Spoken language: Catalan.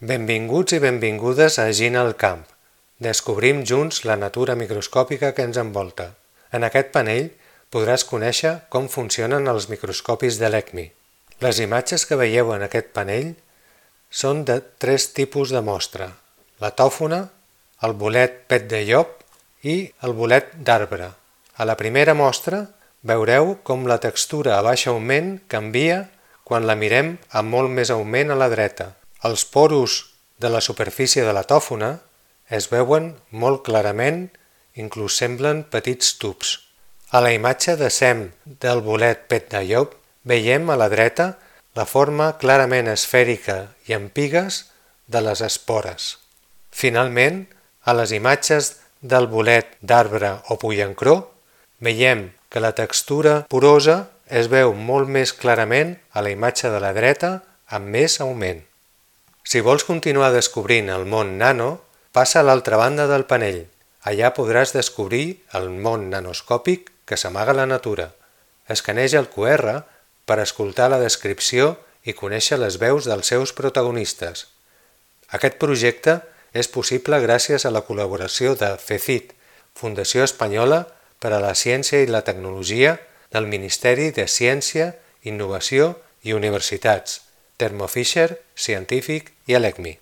Benvinguts i benvingudes a Gina al camp. Descobrim junts la natura microscòpica que ens envolta. En aquest panell podràs conèixer com funcionen els microscopis de l'ECMI. Les imatges que veieu en aquest panell són de 3 tipus de mostra: la tòfona, el bolet pet de llop i el bolet d'arbre. A la primera mostra veureu com la textura a baix augment canvia quan la mirem amb molt més augment a la dreta. Els poros de la superfície de la tòfona es veuen molt clarament, inclús semblen petits tubs. A la imatge de SEM del bolet pet de llop veiem a la dreta la forma clarament esfèrica i amb pigues de les espores. Finalment, a les imatges del bolet d'arbre o pollancró veiem que la textura porosa es veu molt més clarament a la imatge de la dreta amb més augment. Si vols continuar descobrint el món nano, passa a l'altra banda del panell. Allà podràs descobrir el món nanoscòpic que s'amaga a la natura. Escaneja el QR per escoltar la descripció i conèixer les veus dels seus protagonistes. Aquest projecte és possible gràcies a la col·laboració de FECIT, Fundació Espanyola per a la Ciència i la Tecnologia del Ministeri de Ciència, Innovació i Universitats, Thermo Fisher Scientific i l'ECMI.